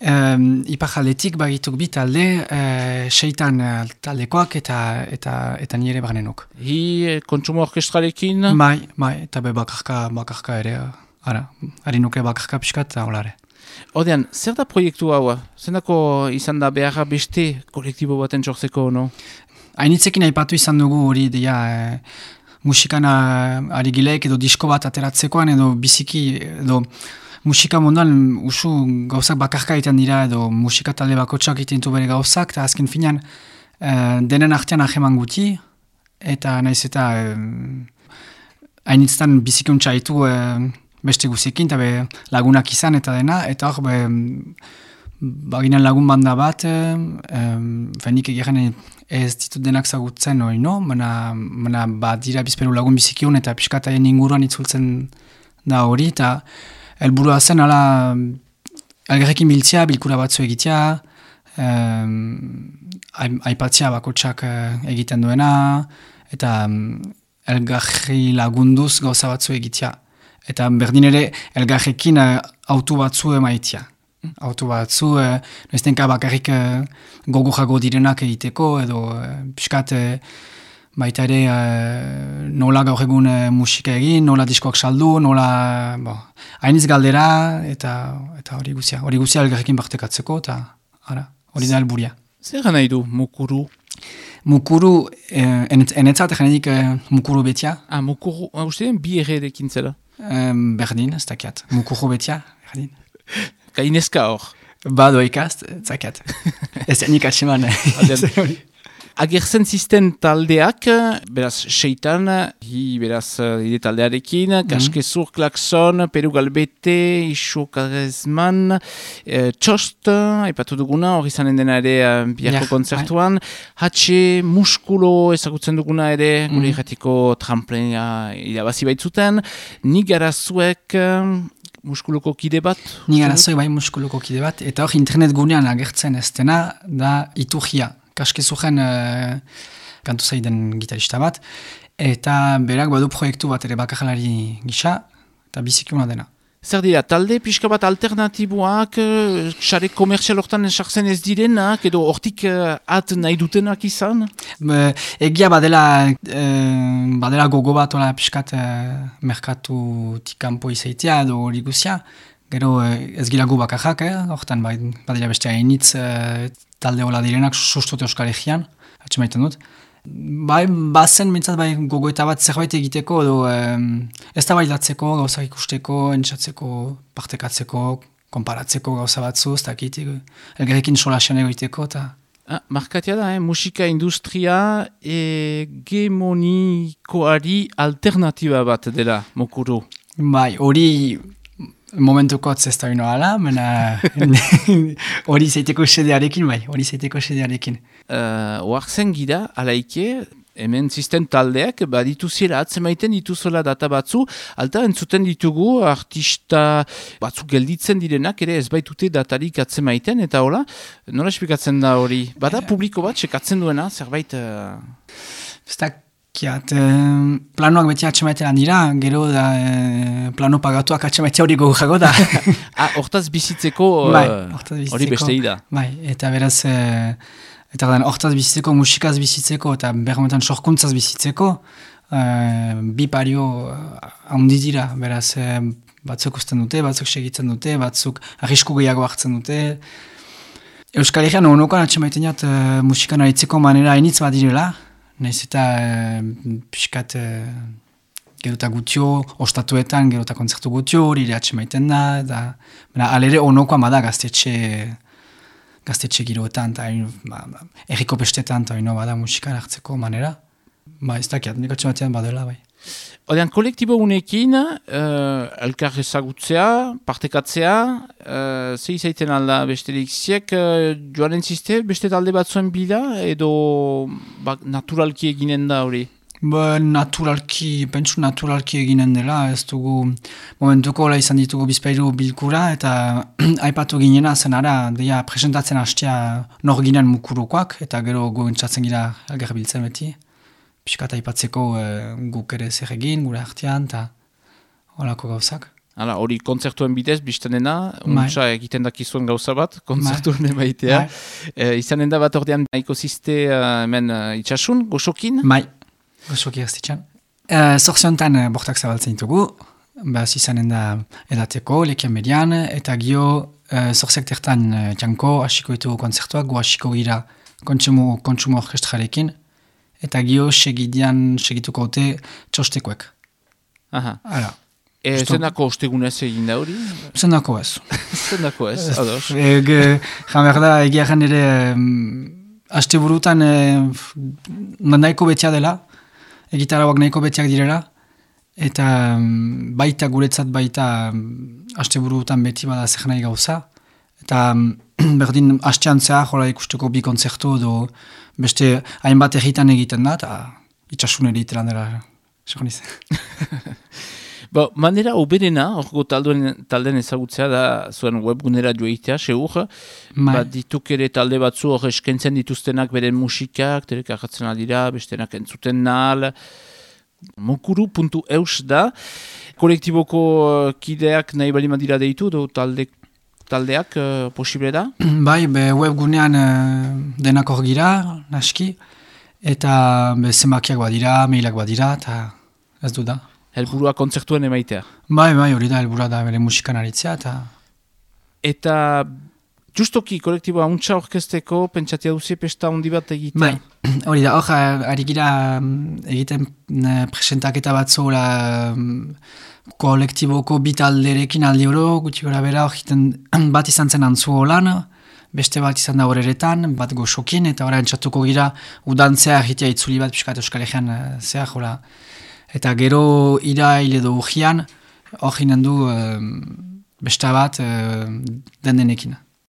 Iparjaldetik bagituk bi talde, seitan taldekoak eta nire barnenok. Kontsumo orkestralekin? Bai, eta bakarka ere, ari nuke bakarka pixkat eta holare. Odean, zer da proiektu hau? Zendako izan da beharra beste kolektibo baten sortzeko, no? Hainitzekin aipatu izan dugu hori dira musikan ari gileek edo disko bat ateratzekoan edo biziki edo musika munduan usu gauzak bakarka egiten dira edo musika talde bakotsak egiten du bere gauzak eta azken finean denen artean aheman guti eta naiz eta hainitzetan biziki untsa ditu beste guzekin eta lagunak izan eta dena eta hor baginan lagun banda bat fenik egaren ez ditut denak zagutzen hori no, mana bat dira bizperu lagun bizikiun eta piskataien inguruan itzultzen da hori eta helburua zen ala elgarrekin biltzea, bilkura batzu egitea, aipatzea bakotsak egiten duena eta elgarri lagunduz gauza batzu egitea. Eta berdin ere elgarrekin auto batzu emaitia. Auto batzu, noiztenka bakarrik gogo direnak egiteko edo piskat baita ere nola gaur egun musika egin, nola diskoak saldu, nola hainiz galdera eta hori guzia elgarrekin partekatzeko eta hori da helburia. Zer nahi du mukuru? Mukuru, enetzat egenedik mukuru betia. Mukuru, uste den bi erredekin zela? Berdin, ez dakiat. Mukuru betia, berdin. Kaineska hor? Bado ikast, zakat. Ez nik atseman. Agertzen zisten taldeak, beraz, seitan, beraz, ide taldearekin, Kaskezur, Klakson, Peru Galbete, Iso Karesman, Txost, aipatu duguna, hori zanen dena ere biharko kontzertuan, Hatxe, Muskulo ezagutzen duguna ere, gure irratiko tramplena irabazi baitzuten, Nigarazuek, Muskuloko kide bat? Nigarazuek bai muskuloko kide bat, eta hor internet gunean agertzen ez dena, da Iturgia. Kaskezuren kantu zaiden gitarista bat, eta berak badu proiektu bat ere bakarlari gisa, eta bizikiuna dena. Zer dira, talde pixka bat alternatiboak, xare komertzial hortan sartzen ez direnak, edo hortik at nahi dutenak izan? Egia badela gogo bat ola pixkat merkatutik kanpo izaitea edo hori guzia, gero ez gilagu bakarrak, hortan badira beste hainitz talde hola direnak sustote Euskal Herrian, atxemaiten dut. Bazen mintzat gogoeta bat zerbait egiteko, edo ez da bailatzeko, gauzak ikusteko, entzatzeko, partekatzeko, konparatzeko gauza batzu, ez dakit, elgarrekin solasean egiteko, eta... Markatia da, musika industria hegemonikoari alternatiba bat dela, mokuru. Bai, hori... Momentuko ez da bino ala, hori zeiteko sedearekin, bai, hori zeiteko sedearekin. Oartzen gira, alaike, hemen zisten taldeak, dituziela atzemaiten dituzola data batzu, alta entzuten ditugu artista batzu gelditzen direnak, ere ez baitute datarik atzemaiten, eta hola, nola esplikatzen da hori? Bada publiko bat, sekatzen duena, zerbait... Planoak beti atxemaitean dira, gero da plano pagatuak atxemaitea hori gogojago da. Hortaz bizitzeko hori bestei da. Bai, eta beraz, hortaz bizitzeko, musikaz bizitzeko, eta bermetan sorkuntzaz bizitzeko, bi pario handi dira, beraz, batzuk usten dute, batzuk segitzen dute, batzuk arrisku gehiago hartzen dute. Euskal Herrian honokoan atxemaiten jat musikan aritzeko manera hainitz bat direla, nahiz eta pixkat gerota gutio, ostatuetan gerota kontzertu gutio, hori atxemaiten da, alere onokoa bada gaztetxe giroetan, erriko bestetan, eta bada musikara hartzeko manera. Ez dakiat, nik atxemaitean badela, bai. Odean, kolektibo unekin, elkar ezagutzea, partekatzea, ze izaiten alda besterik ziek, joan entziste beste talde batzuen bila, edo naturalki eginen da hori? Pentsu naturalki eginen dela, ez dugu momentuko izan ditugu bizpairu bilkura, eta aipatu ginena zenara, presentatzen hastea nor ginen mukurukoak, eta gero goentzatzen gira elgar biltzen beti. Piskat aipatzeko guk ere zer egin, gure artean, eta holako gauzak. Hala, hori kontzertuen bidez, biztanena, untsa egiten dakizuen gauza bat, kontzertuen emaitea. Izanen da bat ordean nahiko ziste hemen itxasun, goxokin? Goxoki gaztitxan. Zorziontan bortak zabaltzen ditugu, izanen da edateko, lekian median, eta gio zorziak tertan janko, hasiko ditugu kontzertuak, gu hasiko gira kontsumo orkestrarekin, eta gio segituko haute txostekoek. Aha. Zendako ostegunez egin da hori? Zendako ez. Zendako ez, ados. Jamer da, egiaren ere, haste burutan nahiko betia dela, egitarauak nahiko betiak direla, eta baita guretzat baita haste burutan beti bada zer nahi gauza, eta berdin hastean zehar hola ikusteko bi kontzertu edo beste hainbat egitan egiten da, eta itxasun egitean dela, segon izan. Manera oberena, orgo talden ezagutzea da zuen webgunera joitea, seur, dituk ere talde batzu hor eskentzen dituztenak beren musikak, terek ahatzen aldira, bestenak entzuten nahal, mokuru.eus da, kolektiboko kideak nahi bali madira deitu, do taldeak posible da? Bai, webgunean denak hor gira, naski, eta zemakiak badira, mailak badira, eta ez du da. Helburua kontzertuen emaitea. Bai, hori da, helburua da bere musikan aritzea, Eta justoki kolektiboa untsa orkesteko, pentsatia duzi pesta handi bat egitea? Bai, hori da, hor, ari gira egiten presentaketa batzu kolektiboko bitalderekin aldi oro, gutxi gora bera, bat izan zen antzu holan, beste bat izan da horeretan, bat goxokin, eta hori entzatuko gira udantzea egitea itzuli bat piskat Euskal Herrian zehar, hola. Eta gero irail edo urgian, hor ginen du besta bat den denekin.